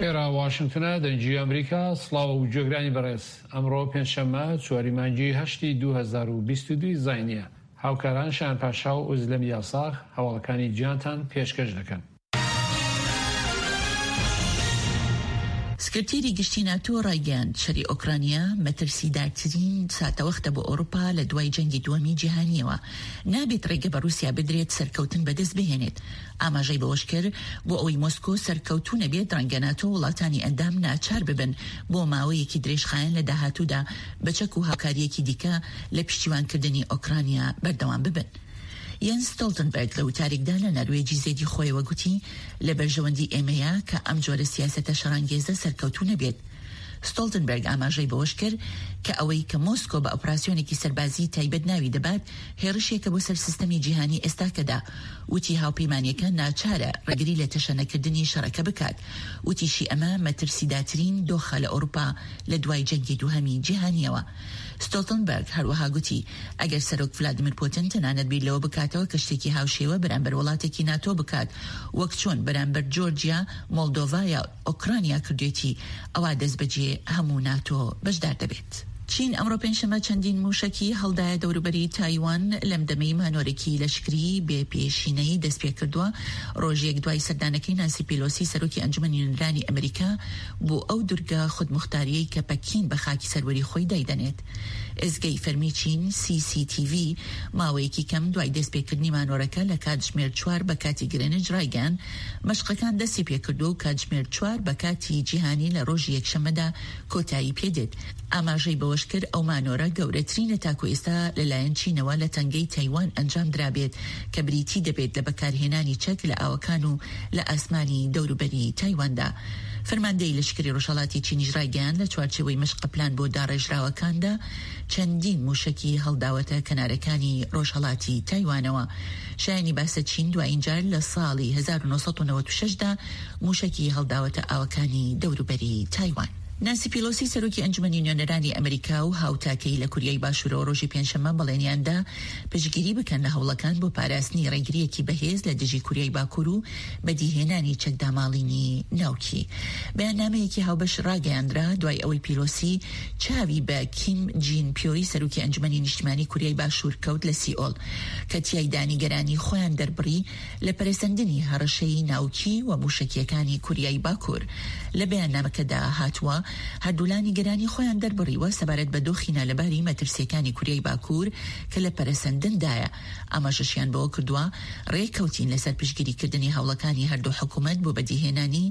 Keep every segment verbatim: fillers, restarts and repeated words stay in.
ئێرە واشنگتنە، دەنگی ئەمریکا. سڵاو و گوێگرانی بەڕێز، ئەمڕۆ پێنجشەممە چواری مانگی هەشتی دوو هەزار و بیست و دوو زاینیە. هاوکاران شایان پاشا و ئۆزلەم یاساغ هەواڵەکانی جیهانتان پێشکەش دەکەن. سکرتێری گشتی ناتۆ ڕایگەیاند، شەری ئۆکرانیا مەترسیدارترین ساتەوەختە بۆ ئەوروپا لە دوای جەنگی دووەمی جیهانیەوە، نابێت ڕێگە بە ڕووسیا بدرێت سەرکەوتن بەدەست بهێنێت. ئاماژەی بەوەشکرد، بۆ ئەوەی مۆسکۆ سەرکەوتوو نەبێت ڕەنگە ناتۆ وڵاتانی ئەندام ناچار ببن بۆ ماوەیەکی درێژخایەن لە داهاتوودا بە چەک و هاوکارییەکی دیکە لە پشتیوانکردنی ئۆکرانیا بەردەوام ببن. یەنس ستۆڵتنبەرگ لە وتارێکدا لە نەروێجی زێدی خۆیەوە گوتی، لە بەرژەوەندی ئێمەیە کە ئەم جۆرە سیاسەتە شەڕانگێزە سەرکەوتوو نەبێت. ستۆڵتنبەرگ ئاماژەی بەوەش کرد کە ئەوەی کە مۆسکۆ بە ئۆپراسیۆنێکی سەربازی تایبەت ناوی دەبات هێڕشێکە بۆ سەر سیستەمی جیهانی ئێستاکەدا. وتی هاوپەیمانیەکە ناچارە ڕێگری لە تەشەنەکردنی شەڕەکە بکات. وتیشی ئەمە مەترسیداترین دۆخە لە ئەوروپا لە دوای جەنگی دووهەمی جیهانیەوە. ستۆڵتنبەرگ هەروەها گوتی ئەگەر سەرۆک ڤلادیمیر پوتن تەنانەت بیر لەوە بکاتەوە کە شتێکی هاوشێوە بەرامبەر وڵاتێکی ناتۆ بکات وەک چۆن بەرامبەر جۆرجیا، مۆلدۆڤا یا ئۆکرانیا کردوێتی، ئەوا دەستبەجێ هەموو ناتۆ بەشدار دەبێت. چین ئەمڕۆ پێنجشەممە چەندین موشەکی هەڵدایە دەوروبەری تایوان لەم دەمەی مانۆرێکی لەشکری بێ پێشینەی دەست پێکردووە، ڕۆژێک دوای سەردانەکەی نانسی پیلۆسی سەرۆکی ئەنجومەنی نوێنەرانی ئەمریکا بۆ ئەو دورگە خودموختاریەی کە پەکین بە خاکی سەروەری خۆی دایدەنێت. ئێزگەی فەرمی چین سی سی تی ڤی ماوەیەکی کەم دوای دەستپێکردنی مانۆرەکە لە کاتژمێر چوار بە کاتی گرێنج ڕایگەیاند مەشقەکان دەستی پێکردووە و کاتژمێر چوار بە کاتی جیهانی لە ڕۆژی یەکشەممەدا کۆتایی پێدێت. ئاماژەی بەوەش کرد ئەو مانۆرە گەورەترینە تاکو ئێستا لەلایەن چینەوە لە تەنگەی تایوان ئەنجام درابێت کە بریتی دەبێت لە بەکارهێنانی چەک لە ئاوەکان و لە ئاسمانی دەوروبەری تایواندا. فەرماندەی لەشکری ڕۆژهەڵاتی چینیش ڕایگەیاند لە چوارچێوەی مەشقە پلان بۆ داڕێژراوەکاندا چەندین موشەکی هەڵداوەتە کەنارەکانی ڕۆژهەڵاتی تایوانەوە. شایانی باسە چین دوایین جار لە ساڵی هەزار و نۆ سەد و نەوەد و شەش دا موشەکی هەڵداوەتە ئاوەکانی دەوروبەری تایوان. نانسی پیلۆسی سەرۆکی ئەنجومەنی نوێنەرانی ئەمریکا و هاوتاکەی لە کوریای باشوورەوە ڕۆژی پێنجشەممە بەڵێنیاندا پشتگیری بکەن لە هەوڵەکان بۆ پاراستنی ڕێگرییەکی بەهێز لە دژی کوریای باکوور و بەدیهێنانی چەکداماڵینی ناوکی. بەیاننامەیەکی هاوبەش ڕاگەیاندرا دوای ئەوەی پیلۆسی چاوی بە کیم جین پیۆی سەرۆکی ئەنجومەنی نیشتمانی کوریای باشوور کەوت لە سیئۆل کە تیایدا نیگەرانی خۆیان دەربڕی لە پەرەسەندنی هەڕەشەی ناوکی و موشەکیەکانی کوریای باکوور. لە بەیاننامەکەدا هاتووە هەردوولا نیگەرانی خۆیان دەربڕیوە سەبارەت بە دۆخی نالەباری مەترسیەکانی کوریای باکوور کە لە پەرەسەندندایە. ئاماژەشیان بەوە کردووە ڕێککەوتین لەسەر پشتگیریکردنی هەوڵەکانی هەردوو حکوومەت بۆ بەدیهێنانی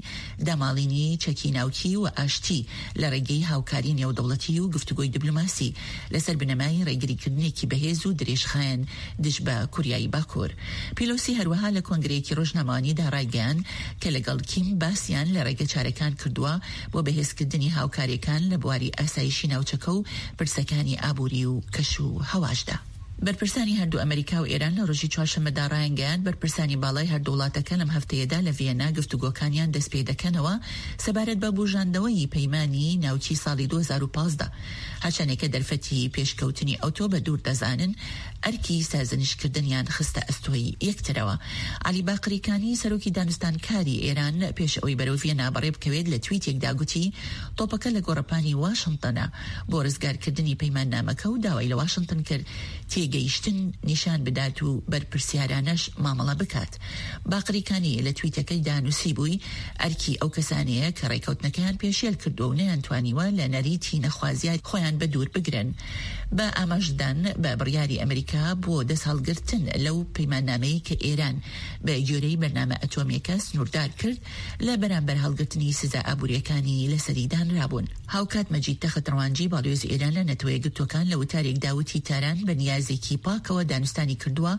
داماڵینی چەکی ناوکی و ئاشتی لە ڕێگەی هاوکاری نێودەوڵەتی و گفتوگۆی دیبلۆماسی لەسەر بنەمای ڕێگریکردنێکی بەهێز و درێژخایەن دژ بە کوریای باکوور. پیلۆسی هەروەها لە کۆنگرەیەکی ڕۆژنامەوانیدا ڕایگەیاند کە لەگەڵ کیم باسیان لە ڕێگەچارەکان کردووە بۆ بەهێزکردنی هاوکاریەکان لە بواری ئاسایشی ناوچەکە و پرسەکانی ئابووری و کەش و هەواشدا. بەرپرسانی هەردوو ئەمریکا و ئێران لە ڕۆژی چوارشەممەدا ڕایانگەیاند بەرپرسانی باڵای هەردوو وڵاتەکە لەم هەفتەیەدا لە ڤیەننا گفتوگۆکانیان دەست پێ دەکەنەوە سەبارەت بە بوژاندنەوەی پەیمانی ناوکی ساڵی دوو هەزار و پازدە. هەرچەندێکە دەرفەتی پێشکەوتنی ئەوتۆ بە دوور دەزانن، ئەرکی سازنشکردنیان خستە ئەستۆی یەکترەوە. عەلی باقریکانی سەرۆکی دانوستانکاری ئێران پێش ئەوەی بەرەو ڤیەننا بەڕێ بکەوێت لە تویتێکدا گوتی تۆپەکە لە گۆڕەپانی واشنتنە بۆ ڕزگارکردنی پەیماننامەکە و داوای لە واشنتن کرد تێگەیشتن نیشان بدات و بەرپرسیارانەش مامەڵە بکات. باقریکانی لە تویتەکەیدا نووسی بووی ئەرکی ئەو کەسانەیە کە ڕێکەوتنەکەیان پێشێل کردووە و نەیانتوانیوە لە نەریتی نەخوازیار خۆیان بە دوور بگرن. بە ئاماژدان بە بڕیاری ئەمریکا بۆ دەست هەڵگرتن لەو پەیماننامەی کە ئێران بە گوێرەی بەرنامە ئەتۆمیەکە سنووردار کرد لە بەرامبەر هەڵگرتنی سزا ئابووریەکانی لەسەری دانرابوون. هاوکات مەجید تەخت ڕەوانجی باڵیۆزی ئێران لە نەتەوە یەکگرتووەکان لە وتارێکدا وتی تاران بە نیازێکی پاکەوە دانوستانی کردووە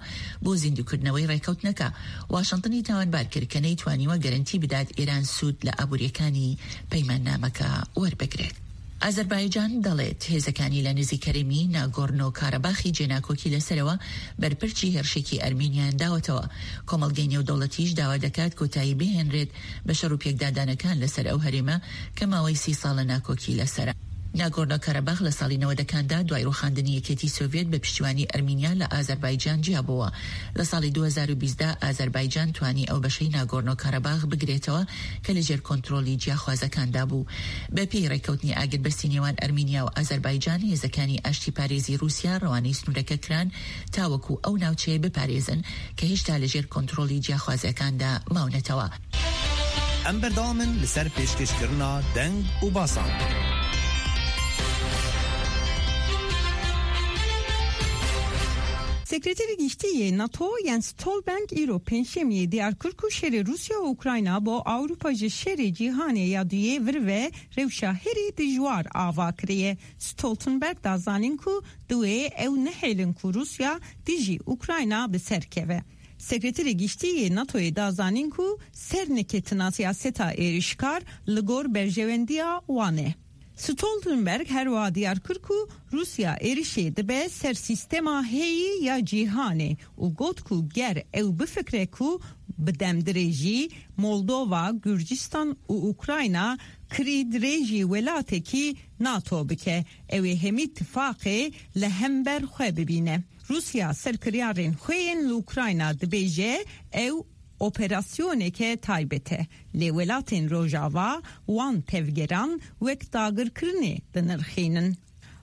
بۆ زیندووکردنەوەی ڕێکەوتنەکە. واشنتنی تاوانبار کرد کە نەیتوانیوە گەرەنتی بدات ئێران سوود لە ئابووریەکانی پەیماننامەکە وەربگرێت. ئازەربایجان دەڵێت هێزەکانی لە نزیک هەرێمی ناگۆرنۆ کاراباخی جێناکۆکی لەسەرەوە بەرپرچی هێرشێکی ئەرمینیان داوەتەوە. کۆمەڵگەی نێودەوڵەتیش داوا دەکات کۆتایی بهێنرێت بە شەڕ و پێکدادانەکان لەسەر ئەو هەرێمە کە ماوەی سی ساڵە ناکۆکی لەسەرە. ناگۆرنۆ کاراباخ لە ساڵی نەوەدەکاندا دوای ڕووخاندنی یەکێتی سۆڤیەت بە پشتیوانی ئەرمینیا لە ئازەربایجان جیابووە. لە ساڵی دوو هەزار و بیست دا ئازەربایجان توانی ئەو بەشەی ناگۆرنۆ کاراباخ بگرێتەوە کە لەژێر کۆنترۆڵی جیاخوازەکاندا بوو. بەپێی ڕێککەوتنی ئاگربەستی نێوان ئەرمینیا و ئازەربایجان، هێزەکانی ئاشتیپارێزی ڕووسیا ڕەوانەی سنوورەکە کران تاوەکو ئەو ناوچەیە بپارێزن کە هێشتا لەژێر کۆنترۆڵی جیاخوازەکاندا ماونەتەوە. ئەم بەردەوامن لەسەر پێشکەشکردنا دەنگ و باسان. Sekreteri Giştî NATO Jens Stoltenberg îro pêncşemiyê diyar kir ku şerê Rûsya û Ukrayna bo Ewropa ji şerê cîhanê ya duyê vir ve rewşa herî dijwar ava kiriye. Stoltenberg da zanîn ku duê ew nehêlin ku Rûsya dijî Ukrayna bi ser keve. Sekreterê Giştî yê NATOyê da zanîn ku serneketina siyaseta êrişkar li gor berjewendiya wan e. Stoltenberg her wiha diyar kir ku Rûsya êrişê dibe ser sîstema heyî ya cîhanê û got ku ger ew bifikre ku bi demdirêjî Moldova, Gurcistan û Ukrayna kirî dirêjî welatekî NATO bike, ew ê hemî tifaqê li hember xwe bibîne. Rûsya ser kiryarên xwe yên li Ukrayna dibêje ew operasyoneke taybet e. Lê welatên Rojava wan tevgeran wek dagirkirinê dinirxînin.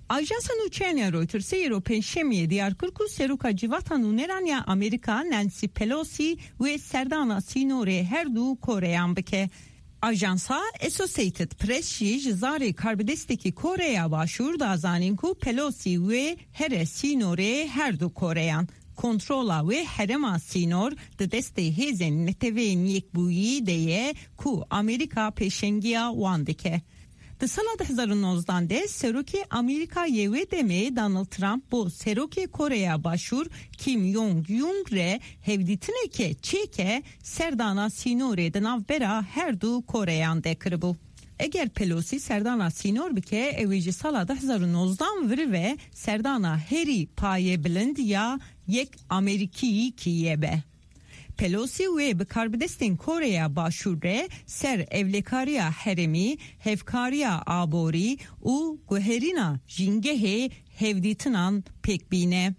Ajansa Nûçeyan ya Reutersê îro pêncşemiyê diyar kir ku Seroka Civata Nûneran ya Amerîka Nancy Pelosi wê serdana sînorê her du Koreyan bike. Ajansa Associated Press jî ji zarê karbidestekî Koreya Başûr da zanîn ku Pelosi wê here sînorê her du Koreyan. Kontrola wê herêma sînor di destê hêzên neteweyên yekbûyî de ye ku Amerîka pêşengiya wan dike. Di sala du hezar û nozdan de Serokê Amerîka yê wê demê Donald Trump bo Serokê Koreya Başûr Kim Jong-un re hevdîtineke çêke serdana sînorê di navbera her du Koreyan de kiribû. Eger Pelosi serdana sînor bike, ew ê ji sala du hezar û nozdan vir ve serdana herî paye bilind ya yek Amerîkî kî be. Pelosi wê bi karbidestên Koreya Başûr re ser evlekariya herêmî, hevkariya aborî û guherîna jîngehê hevdîtinan pêk bîne.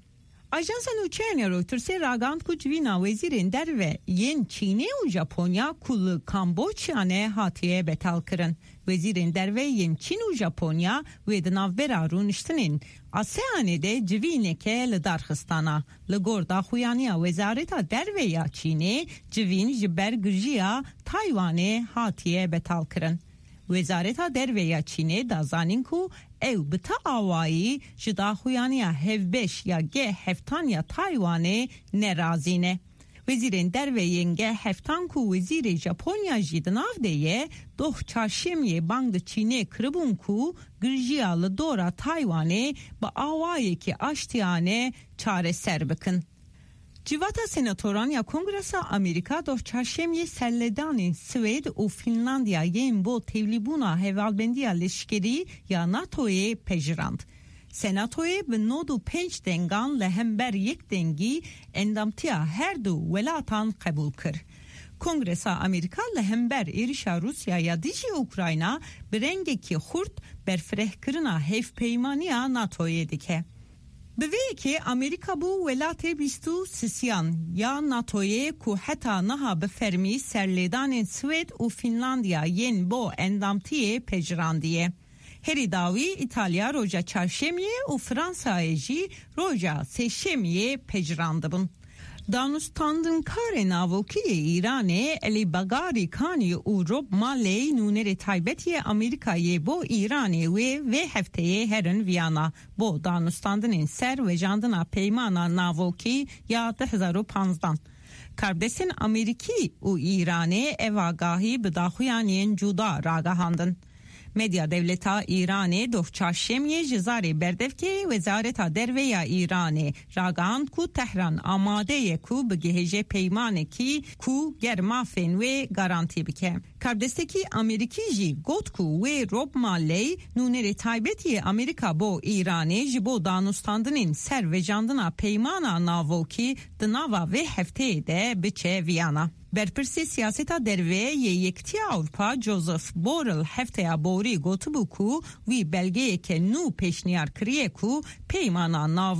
Ajansa Nûçeyan ya Reutersê ragihand ku civîna wezîrên derve yên Çînê û Japonya ku li Kamboçyanê hatiye betalkirin. Wezîrên derve yên Çîn û Japonya wê di navbera rûniştinên ASEANê de civîneke li dar xistana. Li gor daxuyaniya Wezareta Derve ya Çînê civîn ji ber girjiya Taywanê hatiye betalkirin. Wezareta Derve ya Çînê da zanîn ku ew bi ta awayî ji daxuyaniya hevbeş ya G heftan ya Taywanê nerazî ne. Wezîrên derve yên G heftan ku wezîrê Japonya jî di nav de ye, doh çarşemiyê bang li Çînê kiribûn ku girjiya li dora Taywanê bi awayekî aştiyane çareser bikin. Civata Senatoran ya Kongresa Amerîka doh çarşemiyê serlêdanên Swêd û Finlandiya yên bo tevlîbûna hevalbendiya leşkerî ya NATOyê pejirand. Senatoyê bi nod û pênc dengan li hember yek dengî endamtiya her du welatan qebûl kir. Kongresa Amerîka li hember êrişa Rûsya ya dijî Ukrayna bi rengekî xurt berfirehkirina hevpeymaniya NATOyê dike. Bi vê yekê Amerîka bû welatê bîst û sisiyan ya NATOyê ku heta niha bi fermî serlêdanên Swêd û Finlandiya yên bo endamtiyê pejirandiye. Herî dawî İtalya roja çarşemiyê û Fransayê jî roja sêşemiyê pejirandibûn. Danûstandinkarê navokî yê Îranê Elî Bagarî Kanî û Rob Malley nûnerê taybet yê Amerîkayê bo Îranê wê vê hefteyê herin Viyana bo danûstandinên ser vejandina peymana navokî ya du hezar û panzdan. Karbidestên Amerîkî û Îranê ev agahî bi daxuyaniyên cuda ragihandin. Medya Dewleta Îranê doh çarşemiyê ji zarê berdevkê Wezareta Derve ya Îranê ragihand ku Tehran amade ye ku bigihêje peymanekî ku ger mafên wê garantî bike. Karbidestekî Amerîkî jî got ku wê Rob Malley nûnerê taybet yê Amerîka bo Îranê ji bo danûstandinên ser vejandina peymana navokî di nava vê hefteyê de biçe Viyana. Berpirsê siyaseta derve yê Yekîtiya Ewropa Joseph Borrell hefteya borî gotibû ku wî belgeyeke nû pêşniyar kiriye ku peymana nav